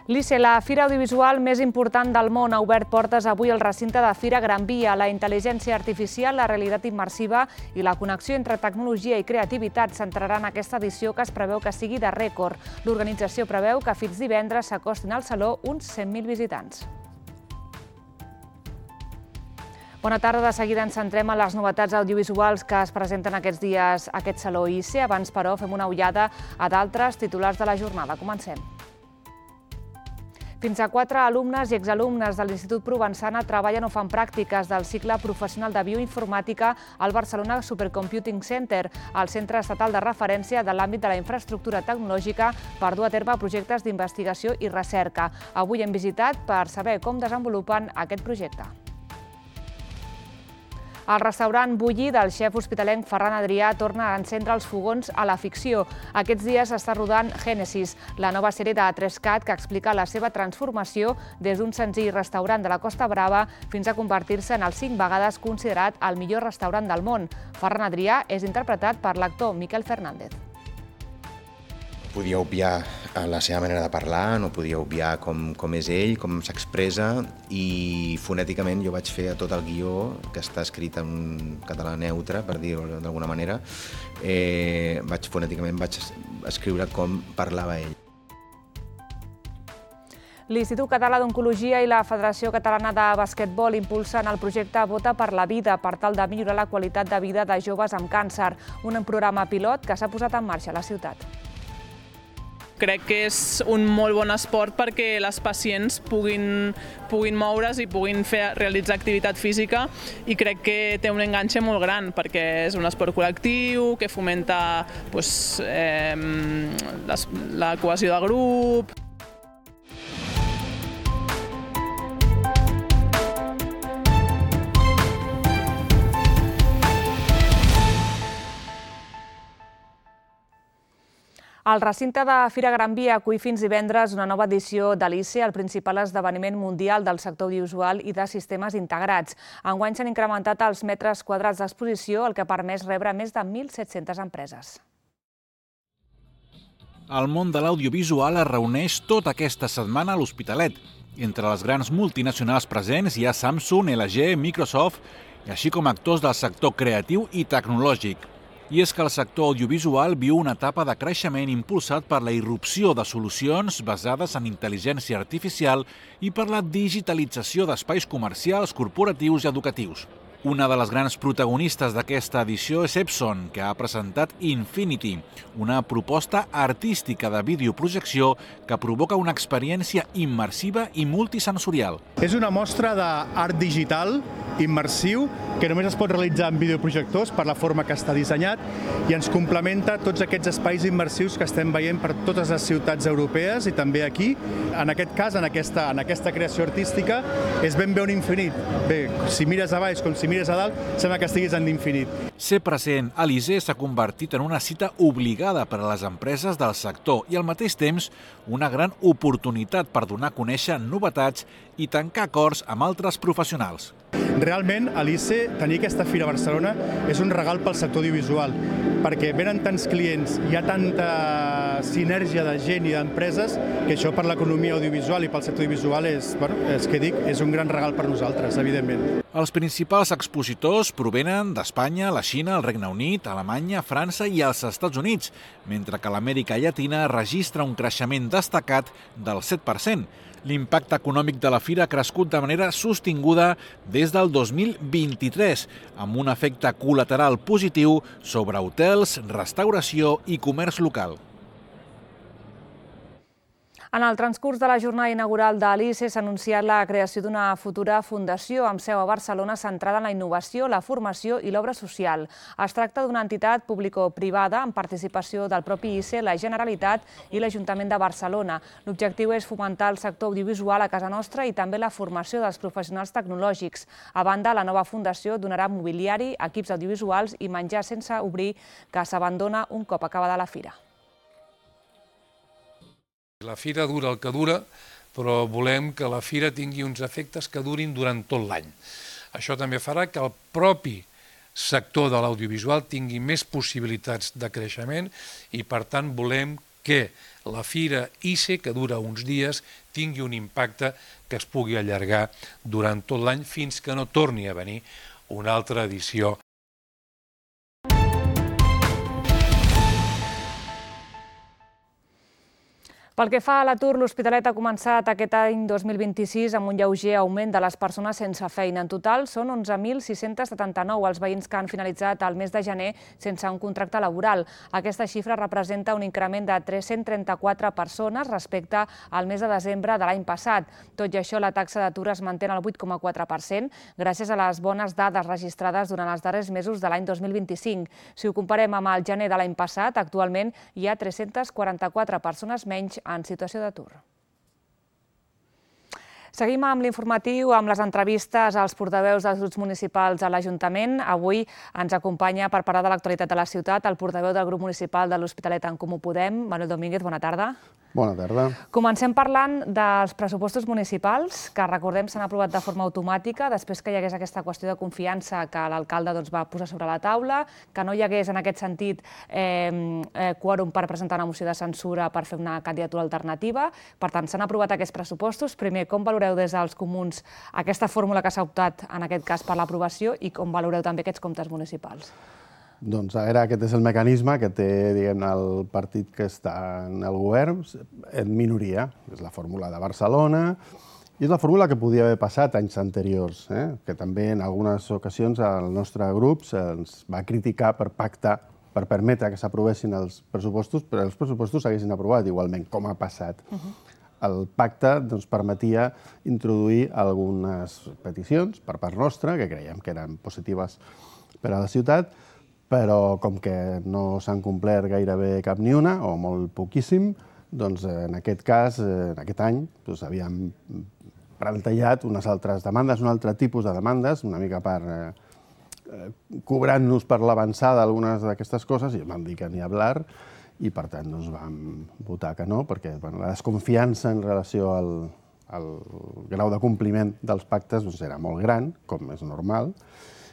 L'ICE, la fira audiovisual més important del món, ha obert portes avui al recinte de Fira Gran Via. La intel·ligència artificial, la realitat immersiva i la connexió entre tecnologia i creativitat centraran aquesta edició, que es preveu que sigui de rècord. L'organització preveu que fins divendres s'acostin al saló uns 100.000 visitants. Bona tarda. De seguida ens centrem en les novetats audiovisuals que es presenten aquests dies a aquest saló ICE. Abans, però, fem una ullada a d'altres titulars de la jornada. Comencem. Fins a 4 alumnes i exalumnes de l'Institut Provençana treballen o fan pràctiques del cicle professional de bioinformàtica al Barcelona Supercomputing Center, el centre estatal de referència de l'àmbit de la infraestructura tecnològica per dur a terme projectes d'investigació i recerca. Avui hem visitat per saber com desenvolupen aquest projecte. El restaurant Bulli del xef hospitalenc Ferran Adrià torna a encendre els fogons a la ficció. Aquests dies està rodant Génesis, la nova sèrie de A3CAT que explica la seva transformació des d'un senzill restaurant de la Costa Brava fins a convertir-se en el 5 vegades considerat el millor restaurant del món. Ferran Adrià és interpretat per l'actor Miquel Fernández. Podia obviar la seva manera de parlar, no podia obviar com és ell, com s'expressa, i fonèticament jo vaig fer a tot el guió, que està escrit en català neutre, per dir-ho d'alguna manera, fonèticament vaig escriure com parlava ell. L'Institut Català d'Oncologia i la Federació Catalana de Basquetbol impulsen el projecte Vota per la Vida per tal de millorar la qualitat de vida de joves amb càncer, un programa pilot que s'ha posat en marxa a la ciutat. Crec que és un molt bon esport perquè les pacients puguin moure's i puguin realitzar activitat física, i crec que té un enganxe molt gran perquè és un esport col·lectiu que fomenta la cohesió de grup. El recinte de Fira Gran Via acull fins divendres una nova edició de l'ICE, el principal esdeveniment mundial del sector audiovisual i de sistemes integrats. Enguany s'han incrementat els metres quadrats d'exposició, el que ha permès rebre més de 1.700 empreses. El món de l'audiovisual es reuneix tota aquesta setmana a l'Hospitalet. Entre les grans multinacionals presents hi ha Samsung, LG, Microsoft, així com actors del sector creatiu i tecnològic. I és que el sector audiovisual viu una etapa de creixement impulsat per la irrupció de solucions basades en intel·ligència artificial i per la digitalització d'espais comercials, corporatius i educatius. Una de les grans protagonistes d'aquesta edició és Epson, que ha presentat Infinity, una proposta artística de videoprojecció que provoca una experiència immersiva i multisensorial. És una mostra d'art digital immersiu que només es pot realitzar en videoprojectors per la forma que està dissenyat, i ens complementa tots aquests espais immersius que estem veient per totes les ciutats europees i també aquí. En aquest cas, en aquesta creació artística, és ben bé un infinit. Bé, si mires a baix com si mires a dalt, sembla que estiguis en l'infinit. Ser present a l'ICE s'ha convertit en una cita obligada per a les empreses del sector i al mateix temps una gran oportunitat per donar a conèixer novetats i tancar acords amb altres professionals. Realment, a l'ICE, tenir aquesta fira a Barcelona és un regal pel sector audiovisual, perquè venen tants clients, hi ha tanta sinergia de gent i d'empreses, que això per l'economia audiovisual i pel sector audiovisual és un gran regal per nosaltres, evidentment. Els principals expositors provenen d'Espanya, la Xina, el Regne Unit, Alemanya, França i els Estats Units, mentre que l'Amèrica Llatina registra un creixement destacat del 7%. L'impacte econòmic de la fira ha crescut de manera sostinguda des del 2023, amb un efecte col·lateral positiu sobre hotels, restauració i comerç local. En el transcurs de la jornada inaugural de l'ICE s'ha anunciat la creació d'una futura fundació amb seu a Barcelona centrada en la innovació, la formació i l'obra social. Es tracta d'una entitat público-privada amb participació del propi ICE, la Generalitat i l'Ajuntament de Barcelona. L'objectiu és fomentar el sector audiovisual a casa nostra i també la formació dels professionals tecnològics. A banda, la nova fundació donarà mobiliari, equips audiovisuals i menjar sense obrir, que s'abandona un cop acabada la fira. La fira dura el que dura, però volem que la fira tingui uns efectes que durin durant tot l'any. Això també farà que el propi sector de l'audiovisual tingui més possibilitats de creixement i, per tant, volem que la fira ICE, que dura uns dies, tingui un impacte que es pugui allargar durant tot l'any fins que no torni a venir una altra edició. Pel que fa a l'atur, l'Hospitalet ha començat aquest any 2026 amb un lleuger augment de les persones sense feina. En total, són 11.679 els veïns que han finalitzat el mes de gener sense un contracte laboral. Aquesta xifra representa un increment de 334 persones respecte al mes de desembre de l'any passat. Tot i això, la taxa d'atur es manté al 8,4%, gràcies a les bones dades registrades durant els darrers mesos de l'any 2025. Si ho comparem amb el gener de l'any passat, actualment hi ha 344 persones menys en situació d'atur. Seguim amb l'informatiu, amb les entrevistes als portaveus dels grups municipals a l'Ajuntament. Avui ens acompanya per parlar de l'actualitat de la ciutat el portaveu del grup municipal de l'Hospitalet en Comú Podem, Manuel Domínguez, bona tarda. Bona tarda. Comencem parlant dels pressupostos municipals, que recordem s'han aprovat de forma automàtica després que hi hagués aquesta qüestió de confiança que l'alcalde va posar sobre la taula, que no hi hagués en aquest sentit quòrum per presentar una moció de censura per fer una candidatura alternativa. Per tant, s'han aprovat aquests pressupostos. Primer, com valoreu des dels comuns aquesta fórmula que s'ha optat en aquest cas per l'aprovació i com valoreu també aquests comptes municipals? Doncs a veure, aquest és el mecanisme que té, diguem-ne, el partit que està en el govern en minoria. És la fórmula de Barcelona i és la fórmula que podia haver passat anys anteriors, que també en algunes ocasions el nostre grup ens va criticar per pactar, per permetre que s'aprovessin els pressupostos, però els pressupostos s'haguessin aprovat igualment, com ha passat. El pacte permetia introduir algunes peticions per part nostra, que creiem que eren positives per a la ciutat, però com que no s'han complert gairebé cap ni una, o molt poquíssim, doncs en aquest cas, en aquest any, havíem plantejat unes altres demandes, un altre tipus de demandes, una mica per cobrant-nos per l'avançada algunes d'aquestes coses, i vam dir que ni hablar, i per tant vam votar que no, perquè la desconfiança en relació al grau de compliment dels pactes era molt gran, com és normal,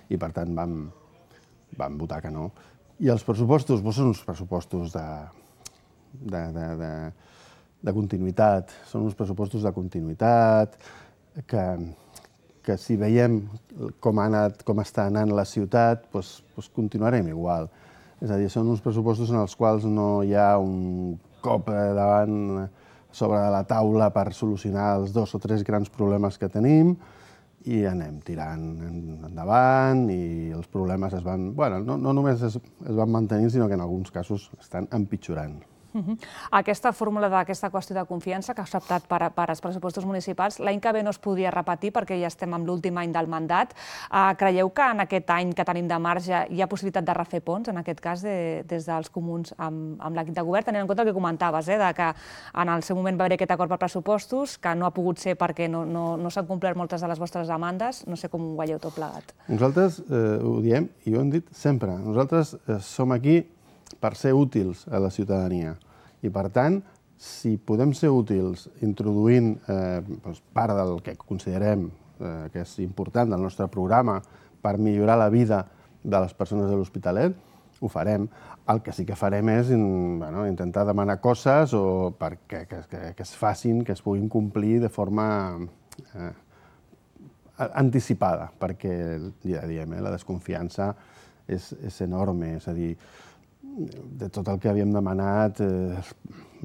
i per tant vam votar que no. I els pressupostos són uns pressupostos de continuïtat. Són uns pressupostos de continuïtat que si veiem com està anant la ciutat, continuarem igual. És a dir, són uns pressupostos en els quals no hi ha un cop davant sobre la taula per solucionar els 2 o 3 grans problemes que tenim, i anem tirant endavant i els problemes no només es van mantenint, sinó que en alguns casos estan empitjorant. Aquesta fórmula d'aquesta qüestió de confiança que s'ha optat per als pressupostos municipals, l'any que ve no es podria repetir perquè ja estem en l'últim any del mandat. Creieu que en aquest any que tenim de marge hi ha possibilitat de refer ponts, en aquest cas des dels comuns amb l'equip de govern, tenint en compte el que comentaves, que en el seu moment va haver aquest acord per pressupostos, que no ha pogut ser perquè no s'han complert moltes de les vostres demandes. No sé com ho veieu tot plegat. Nosaltres ho diem i ho hem dit sempre. Nosaltres som aquí per ser útils a la ciutadania. I, per tant, si podem ser útils introduint part del que considerem que és important del nostre programa per millorar la vida de les persones de l'Hospitalet, ho farem. El que sí que farem és intentar demanar coses que es facin, que es puguin complir de forma anticipada, perquè, ja diem, la desconfiança és enorme. És a dir, de tot el que havíem demanat,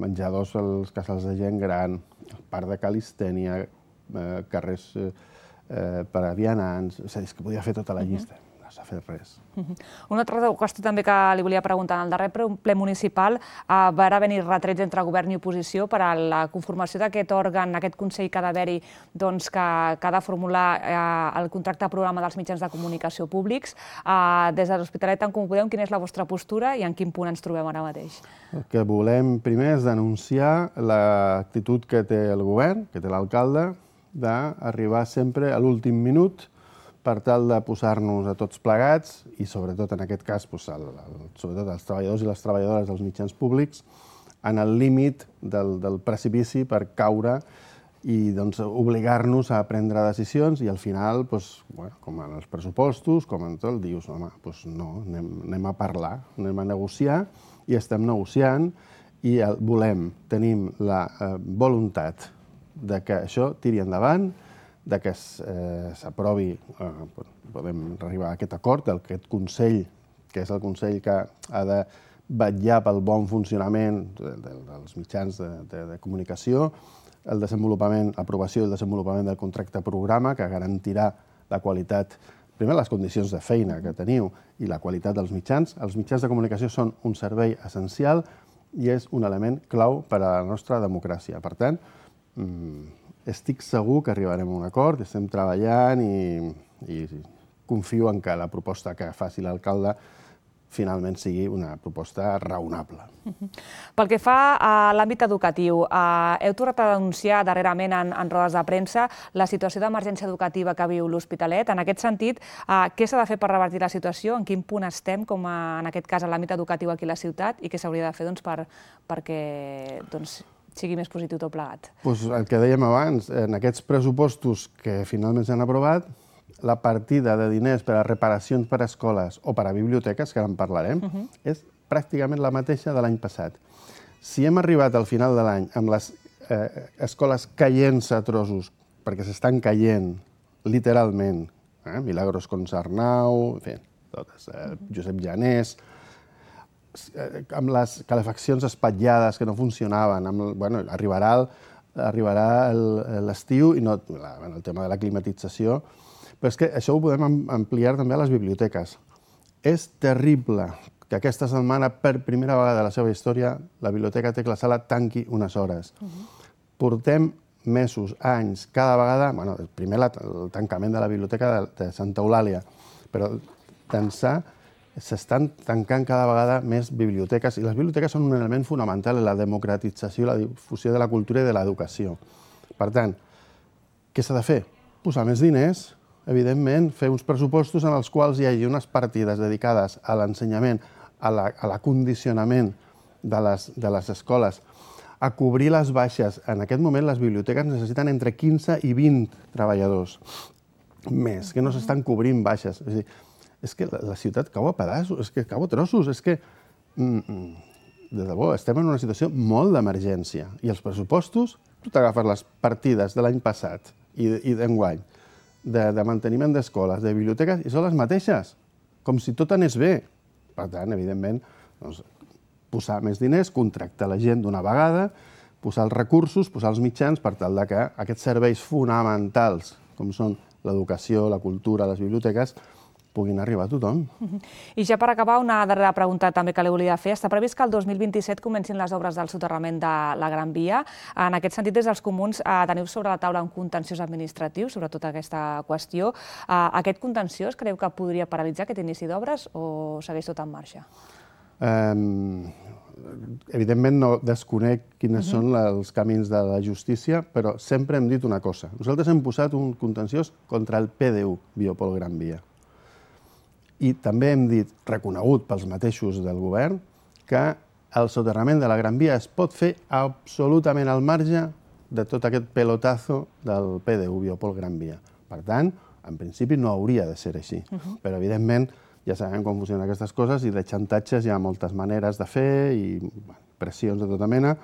menjadors als casals de gent gran, el parc de calistènia, carrers per a vianants, és que podia fer tota la llista, no s'ha fet res. Una altra qüestió també que li volia preguntar. En el darrer ple municipal va haver-hi retrets entre govern i oposició per a la conformació d'aquest òrgan, aquest consell que ha d'haver-hi, que ha de formular el contracte programa dels mitjans de comunicació públics. Des de l'Hospitalet en Comú Podem, quina és la vostra postura i en quin punt ens trobem ara mateix? El que volem primer és denunciar l'actitud que té el govern, que té l'alcalde, d'arribar sempre a l'últim minut per tal de posar-nos a tots plegats i, sobretot en aquest cas, sobretot els treballadors i les treballadores dels mitjans públics, en el límit del precipici per caure i obligar-nos a prendre decisions i al final, com en els pressupostos, com en tot, dius, home, no, anem a parlar, anem a negociar i estem negociant i tenim la voluntat de que això tiri endavant, de que s'aprovi, podem arribar a aquest acord d'aquest Consell, que és el Consell que ha de vetllar pel bon funcionament dels mitjans de comunicació, l'aprovació i el desenvolupament del contracte programa, que garantirà la qualitat, primer les condicions de feina que teniu i la qualitat dels mitjans. Els mitjans de comunicació són un servei essencial i és un element clau per a la nostra democràcia. Per tant, estic segur que arribarem a un acord, estem treballant i confio en que la proposta que faci l'alcalde finalment sigui una proposta raonable. Pel que fa a l'àmbit educatiu, heu tornat a denunciar darrerament en rodes de premsa la situació d'emergència educativa que viu l'Hospitalet. En aquest sentit, què s'ha de fer per revertir la situació? En quin punt estem, com en aquest cas, en l'àmbit educatiu aquí a la ciutat, i què s'hauria de fer perquè sigui més positiu tot plegat? El que dèiem abans, en aquests pressupostos que finalment s'han aprovat, la partida de diners per a reparacions per a escoles o per a biblioteques, que ara en parlarem, és pràcticament la mateixa de l'any passat. Si hem arribat al final de l'any amb les escoles caient-se a trossos, perquè s'estan caient literalment, Milagros Consarnau, en fi, totes, Josep Llanés, amb les calefaccions espatllades que no funcionaven, arribarà l'estiu i el tema de la climatització. Però és que això ho podem ampliar també a les biblioteques. És terrible que aquesta setmana, per primera vegada a la seva història, la Biblioteca Tecla Sala tanqui unes hores. Portem mesos, anys, cada vegada... Primer el tancament de la Biblioteca de Santa Eulàlia, però d'ençà s'estan tancant cada vegada més biblioteques, i les biblioteques són un element fonamental en la democratització i la difusió de la cultura i de l'educació. Per tant, què s'ha de fer? Posar més diners, evidentment, fer uns pressupostos en els quals hi hagi unes partides dedicades a l'ensenyament, a l'acondicionament de les escoles, a cobrir les baixes. En aquest moment les biblioteques necessiten entre 15 i 20 treballadors més, que no s'estan cobrint baixes. És a dir, és que la ciutat cau a pedaços, és que cau a trossos, és que, de debò, estem en una situació molt d'emergència. I els pressupostos, tu t'agafes les partides de l'any passat i d'enguany, de manteniment d'escoles, de biblioteques, i són les mateixes, com si tot anés bé. Per tant, evidentment, posar més diners, contractar la gent d'una vegada, posar els recursos, posar els mitjans per tal que aquests serveis fonamentals, com són l'educació, la cultura, les biblioteques, puguin arribar a tothom. I ja per acabar, una darrera pregunta també que li volia fer. Està previst que el 2027 comencin les obres del soterrament de la Gran Via. En aquest sentit, des dels comuns, teniu sobre la taula un contenciós administratiu sobre tota aquesta qüestió. Aquest contenciós creu que podria paralitzar aquest inici d'obres o segueix tot en marxa? Evidentment no desconec quins són els camins de la justícia, però sempre hem dit una cosa. Nosaltres hem posat un contenciós contra el PDU, Biopol Gran Via. I també hem dit, reconegut pels mateixos del govern, que el soterrament de la Gran Via es pot fer absolutament al marge de tot aquest pelotazo del PDU, Biopol Gran Via. Per tant, en principi no hauria de ser així. Però, evidentment, ja sabem com funcionen aquestes coses i de xantatges hi ha moltes maneres de fer i pressions de tota mena,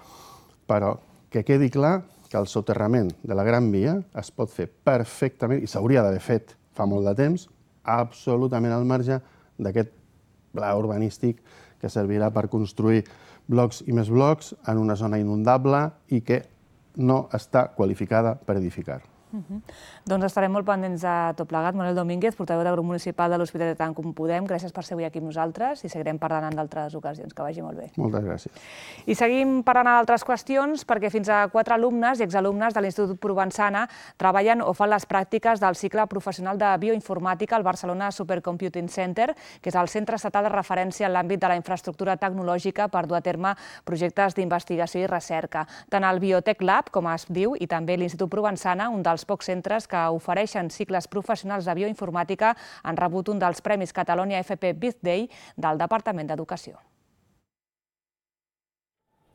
però que quedi clar que el soterrament de la Gran Via es pot fer perfectament, i s'hauria d'haver fet fa molt de temps, absolutament al marge d'aquest pla urbanístic que servirà per construir blocs i més blocs en una zona inundable i que no està qualificada per edificar. Doncs estarem molt pendents de tot plegat. Manuel Domínguez, portaveu del grup municipal de l'Hospitalet Tant Com Podem, gràcies per ser avui aquí amb nosaltres i seguirem parlant en d'altres ocasions. Que vagi molt bé. Moltes gràcies. I seguim parlant d'altres qüestions perquè fins a 4 alumnes i exalumnes de l'Institut Provençana treballen o fan les pràctiques del cicle professional de bioinformàtica al Barcelona Supercomputing Center, que és el centre estatal de referència en l'àmbit de la infraestructura tecnològica per dur a terme projectes d'investigació i recerca. Tant el Biotech Lab, com es diu, i també l'Institut Provençana, un dels pocs centres que ofereixen cicles professionals de bioinformàtica, han rebut un dels Premis Catalonia FP Big Day del Departament d'Educació.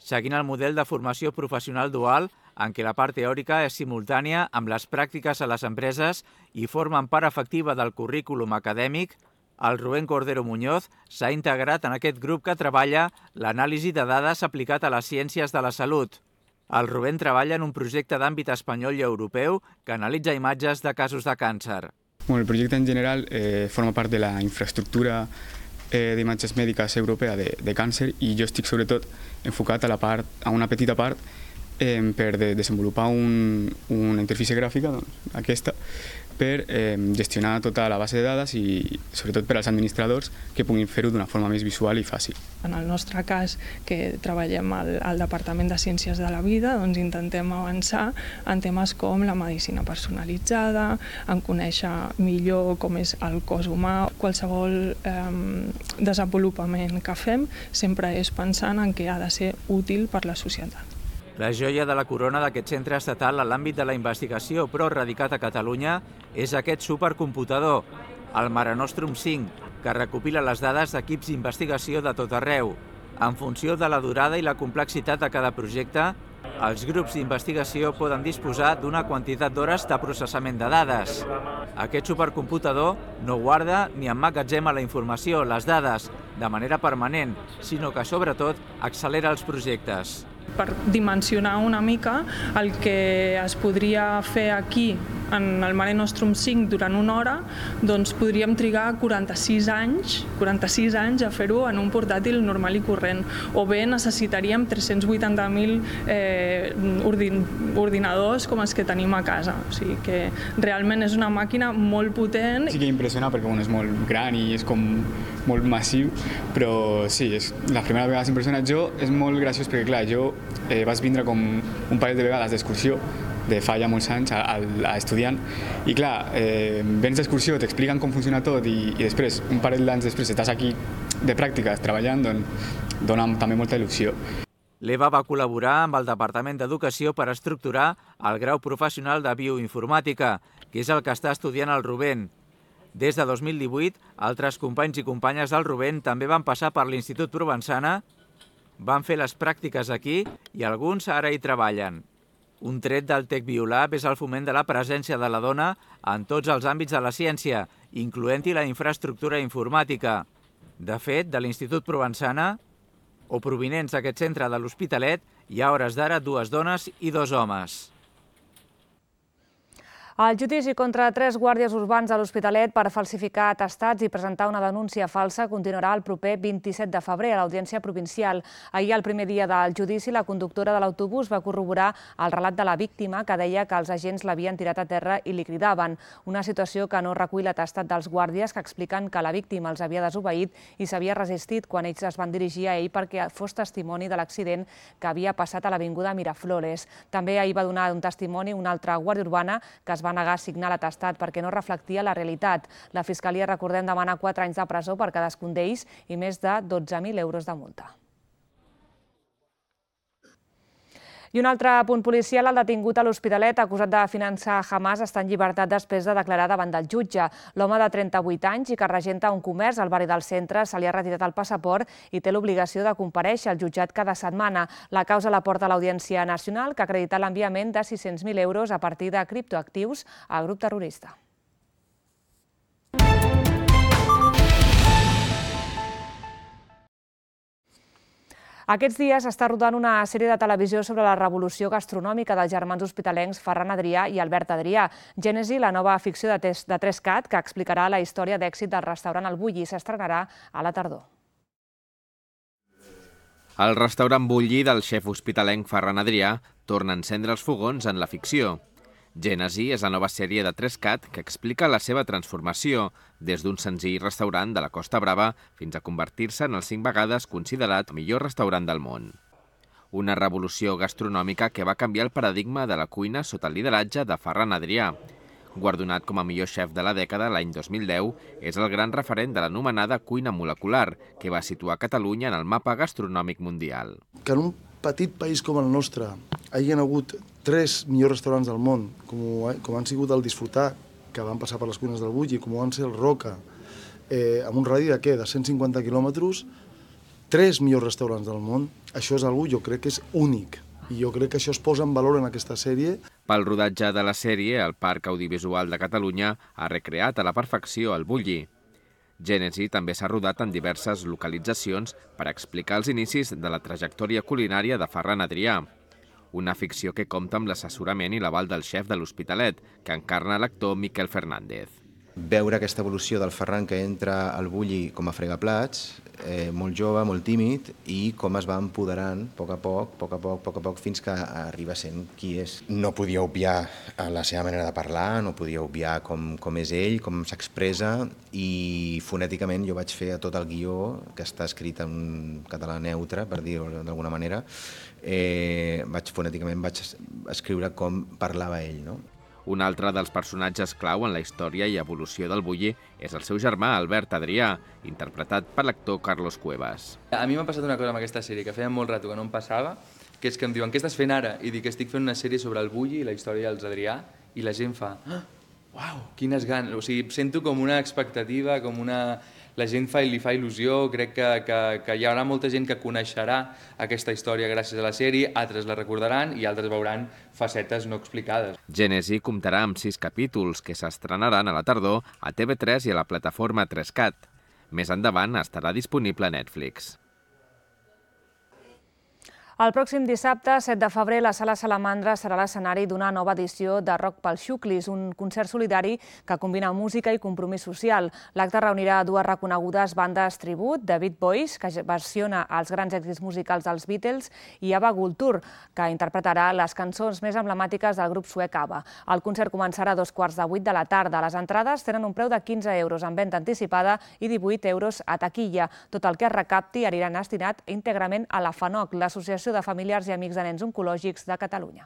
Seguint el model de formació professional dual, en què la part teòrica és simultània amb les pràctiques a les empreses i formen part efectiva del currículum acadèmic, El Rubén Cordero Muñoz s'ha integrat en aquest grup que treballa l'anàlisi de dades aplicat a les ciències de la salut. El Rubén treballa en un projecte d'àmbit espanyol i europeu que analitza imatges de casos de càncer. Bueno, el projecte en general forma part de la infraestructura d'imatges mèdiques europea de càncer i jo estic sobretot enfocat a una petita part per desenvolupar una interfície gràfica, aquesta, per gestionar tota la base de dades i sobretot per als administradors que puguin fer-ho d'una forma més visual i fàcil. En el nostre cas, que treballem al Departament de Ciències de la Vida, doncs intentem avançar en temes com la medicina personalitzada, en conèixer millor com és el cos humà. Qualsevol desenvolupament que fem sempre és pensant en què ha de ser útil per la societat. La joia de la corona d'aquest centre estatal en l'àmbit de la investigació, però radicat a Catalunya, és aquest supercomputador, el Mare Nostrum 5, que recopila les dades d'equips d'investigació de tot arreu. En funció de la durada i la complexitat de cada projecte, els grups d'investigació poden disposar d'una quantitat d'hores de processament de dades. Aquest supercomputador no guarda ni emmagatzema la informació, les dades, de manera permanent, sinó que, sobretot, accelera els projectes. Per dimensionar una mica el que es podria fer aquí en el Mare Nostrum 5 durant una hora, doncs podríem trigar 46 anys a fer-ho en un portàtil normal i corrent. O bé necessitaríem 380.000 ordinadors com els que tenim a casa. O sigui que realment és una màquina molt potent. Sí que impressiona perquè és molt gran i és com molt massiu, però sí, és la primera vegada que s'impressiona. Jo és molt graciós perquè, clar, jo vaig vindre com un parell de vegades d'excursió de fa ja molts anys a estudiant i clar, vens d'excursió, t'expliquen com funciona tot i després, un parell d'anys després, estàs aquí de pràctiques treballant, doncs dona també molta il·lusió. L'Eva va col·laborar amb el Departament d'Educació per estructurar el grau professional de bioinformàtica, que és el que està estudiant el Rubén. Des de 2018, altres companys i companyes del Rubén també van passar per l'Institut Provençana, van fer les pràctiques aquí i alguns ara hi treballen. Un tret del Tec Biolab és el foment de la presència de la dona en tots els àmbits de la ciència, incloent-hi la infraestructura informàtica. De fet, de l'Institut Provençana, o provinents d'aquest centre de l'Hospitalet, hi ha hores d'ara 2 dones i 2 homes. El judici contra 3 guàrdies urbans a l'Hospitalet per falsificar atestats i presentar una denúncia falsa continuarà el proper 27 de febrer a l'Audiència Provincial. Ahir, el primer dia del judici, la conductora de l'autobús va corroborar el relat de la víctima, que deia que els agents l'havien tirat a terra i li cridaven. Una situació que no recull l'atestat dels guàrdies, que expliquen que la víctima els havia desobeït i s'havia resistit quan ells es van dirigir a ell perquè fos testimoni de l'accident que havia passat a l'avinguda Miraflores. També ahir va donar un testimoni una altra guàrdia urbana que es va negar a signar l'atestat perquè no reflectia la realitat. La Fiscalia, recordem, demana 4 anys de presó per cadascun d'ells i més de 12.000 euros de multa. I un altre punt policial, el detingut a l'Hospitalet, acusat de finançar Hamas, està en llibertat després de declarar davant del jutge. L'home de 38 anys i que regenta un comerç al barri del centre se li ha retirat el passaport i té l'obligació de comparèixer al jutjat cada setmana. La causa la porta l'Audiència Nacional, que ha acreditat l'enviament de 600.000 euros a partir de criptoactius al grup terrorista. Aquests dies està rodant una sèrie de televisió sobre la revolució gastronòmica dels germans hospitalencs Ferran Adrià i Albert Adrià. Gènesi, la nova ficció de 3CAT, que explicarà la història d'èxit del restaurant El Bulli, s'estrenarà a la tardor. El restaurant Bulli del xef hospitalenc Ferran Adrià torna a encendre els fogons en la ficció. Gènesi és la nova sèrie de 3CAT que explica la seva transformació des d'un senzill restaurant de la Costa Brava fins a convertir-se en el 5 vegades considerat el millor restaurant del món. Una revolució gastronòmica que va canviar el paradigma de la cuina sota el lideratge de Ferran Adrià. Guardonat com a millor xef de la dècada l'any 2010, és el gran referent de l'anomenada cuina molecular, que va situar Catalunya en el mapa gastronòmic mundial. Que en un petit país com el nostre hi ha hagut 3 millors restaurants del món, com han sigut el Disfrutar, que van passar per les cuines del Bulli, com van ser el Roca, amb un radi de 150 quilòmetres, 3 millors restaurants del món. Això és algú, jo crec que és únic. I jo crec que això es posa en valor en aquesta sèrie. Pel rodatge de la sèrie, el Parc Audiovisual de Catalunya ha recreat a la perfecció el Bulli. Gènesi també s'ha rodat en diverses localitzacions per explicar els inicis de la trajectòria culinària de Ferran Adrià. Una ficció que compta amb l'assessorament i l'aval del xef de l'Hospitalet, que encarna l'actor Miquel Fernández. Veure aquesta evolució del Ferran que entra al Bulli com a fregaplats, molt jove, molt tímid, i com es va empoderant a poc, fins que arriba sent qui és. No podia obviar la seva manera de parlar, no podia obviar com és ell, com s'expressa, i fonèticament jo vaig fer tot el guió, que està escrit en català neutre, per dir-ho d'alguna manera, fonèticament vaig escriure com parlava ell, no? Un altre dels personatges clau en la història i evolució del Bulli és el seu germà Albert Adrià, interpretat per l'actor Carlos Cuevas. A mi m'ha passat una cosa amb aquesta sèrie que feia molt rato que no em passava, que és que em diuen què estàs fent ara? I dic que estic fent una sèrie sobre el Bulli i la història dels Adrià, i la gent fa uau, quines ganes, o sigui, sento com una expectativa, com una... La gent li fa il·lusió, crec que hi haurà molta gent que coneixerà aquesta història gràcies a la sèrie, altres la recordaran i altres veuran facetes no explicades. Gènesi comptarà amb 6 capítols que s'estrenaran a la tardor a TV3 i a la plataforma 3Cat. Més endavant estarà disponible a Netflix. El pròxim dissabte, 7 de febrer, la Sala Salamandra serà l'escenari d'una nova edició de Rock pels Xuclis, un concert solidari que combina música i compromís social. L'acte reunirà dues reconegudes bandes tribut, The Beat Boys, que versiona els grans èxits musicals dels Beatles, i Ava Gultur, que interpretarà les cançons més emblemàtiques del grup suec ABBA. El concert començarà a 7:15 de la tarda. Les entrades tenen un preu de 15 euros en venda anticipada i 18 euros a taquilla. Tot el que es recapti anirà destinat íntegrament a la FANOC, l'Associació de Familiars i Amics de Nens Oncològics de Catalunya.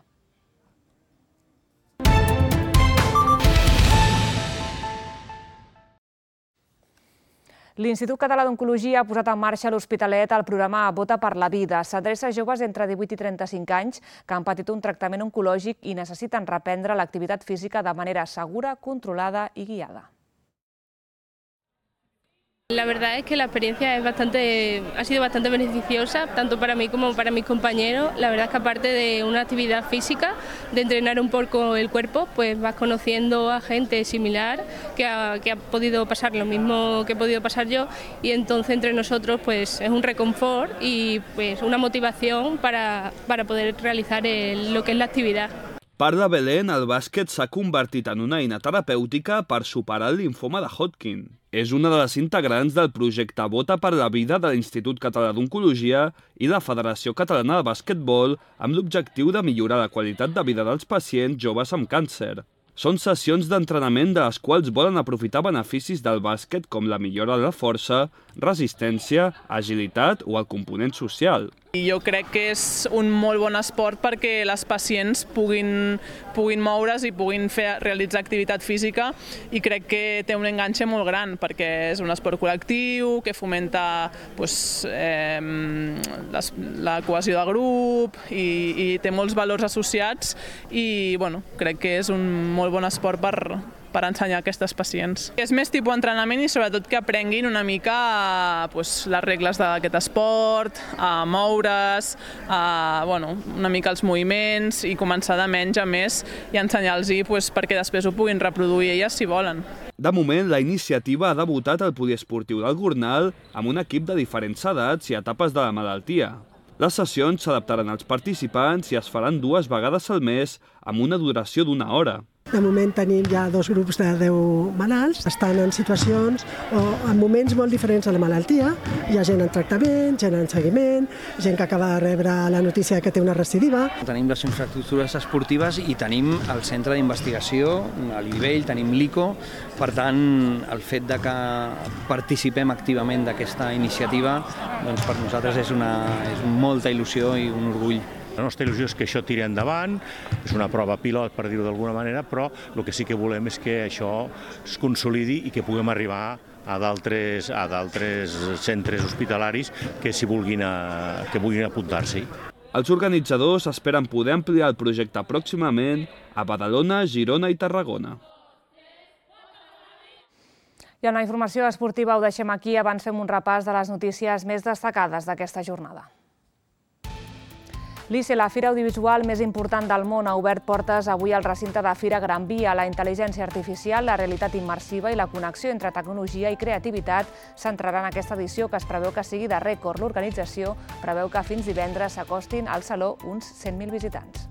L'Institut Català d'Oncologia ha posat en marxa a l'Hospitalet el programa Vota per la Vida. S'adreça a joves entre 18 i 35 anys que han patit un tractament oncològic i necessiten reprendre l'activitat física de manera segura, controlada i guiada. La verdad es que la experiencia ha sido bastante beneficiosa, tanto para mí como para mis compañeros. La verdad es que aparte de una actividad física, de entrenar un poco el cuerpo, pues vas conociendo a gente similar que ha podido pasar lo mismo que he podido pasar yo, y entonces entre nosotros pues es un reconfort y pues una motivación para poder realizar lo que es la actividad. Parla Belén, el bàsquet s'ha convertit en una eina terapèutica per superar el limfoma de Hodgkin. És una de les integrants del projecte Vota per la Vida de l'Institut Català d'Oncologia i la Federació Catalana de Basquetbol amb l'objectiu de millorar la qualitat de vida dels pacients joves amb càncer. Són sessions d'entrenament de les quals volen aprofitar beneficis del bàsquet com la millora de la força, resistència, agilitat o el component social. Jo crec que és un molt bon esport perquè les pacients puguin moure's i puguin realitzar activitat física, i crec que té un enganxe molt gran perquè és un esport col·lectiu que fomenta la cohesió de grup i té molts valors associats, i crec que és un molt bon esport per ensenyar a aquestes pacients. És més tipus entrenament i sobretot que aprenguin una mica les regles d'aquest esport, a moure's, una mica els moviments, i començar de menys a més i ensenyar-los perquè després ho puguin reproduir elles si volen. De moment, la iniciativa ha debutat al poliesportiu del Gornal amb un equip de diferents edats i etapes de la malaltia. Les sessions s'adaptaran als participants i es faran 2 vegades al mes amb una duració d'1 hora. De moment tenim ja 2 grups de 10 malalts, estan en situacions o en moments molt diferents de la malaltia. Hi ha gent en tractament, gent en seguiment, gent que acaba de rebre la notícia que té una recidiva. Tenim les infraestructures esportives i tenim el centre d'investigació, a l'Ivell, tenim l'ICO. Per tant, el fet de que participem activament d'aquesta iniciativa, doncs per nosaltres és molta il·lusió i un orgull. La nostra il·lusió és que això tiri endavant, és una prova pilot, per dir-ho d'alguna manera, però el que sí que volem és que això es consolidi i que puguem arribar a d'altres centres hospitalaris que vulguin apuntar-s'hi. Els organitzadors esperen poder ampliar el projecte pròximament a Badalona, Girona i Tarragona. I amb la informació esportiva ho deixem aquí. Abans fem un repàs de les notícies més destacades d'aquesta jornada. L'ICE, la fira audiovisual més important del món, ha obert portes avui al recinte de Fira Gran Via. La intel·ligència artificial, la realitat immersiva i la connexió entre tecnologia i creativitat centraran aquesta edició, que es preveu que sigui de rècord. L'organització preveu que fins divendres s'acostin al saló uns 100.000 visitants.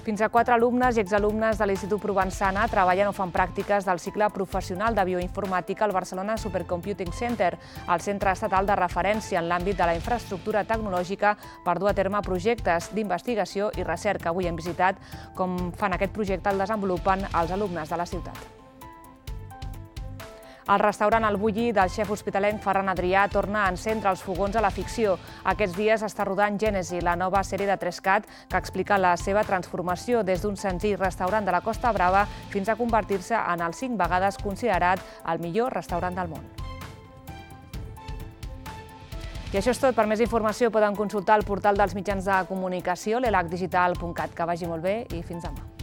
Fins a 4 alumnes i exalumnes de l'Institut Provençana treballen o fan pràctiques del cicle professional de bioinformàtica al Barcelona Supercomputing Center, el centre estatal de referència en l'àmbit de la infraestructura tecnològica per dur a terme projectes d'investigació i recerca. Avui hem visitat com fan aquest projecte, el desenvolupen els alumnes de la ciutat. El restaurant El Bulli del xef hospitalenc Ferran Adrià torna a encendre els fogons a la ficció. Aquests dies està rodant Gènesi, la nova sèrie de 3CAT que explica la seva transformació des d'un senzill restaurant de la Costa Brava fins a convertir-se en el 5 vegades considerat el millor restaurant del món. I això és tot. Per més informació poden consultar el portal dels mitjans de comunicació, l'elacdigital.cat. Que vagi molt bé i fins demà.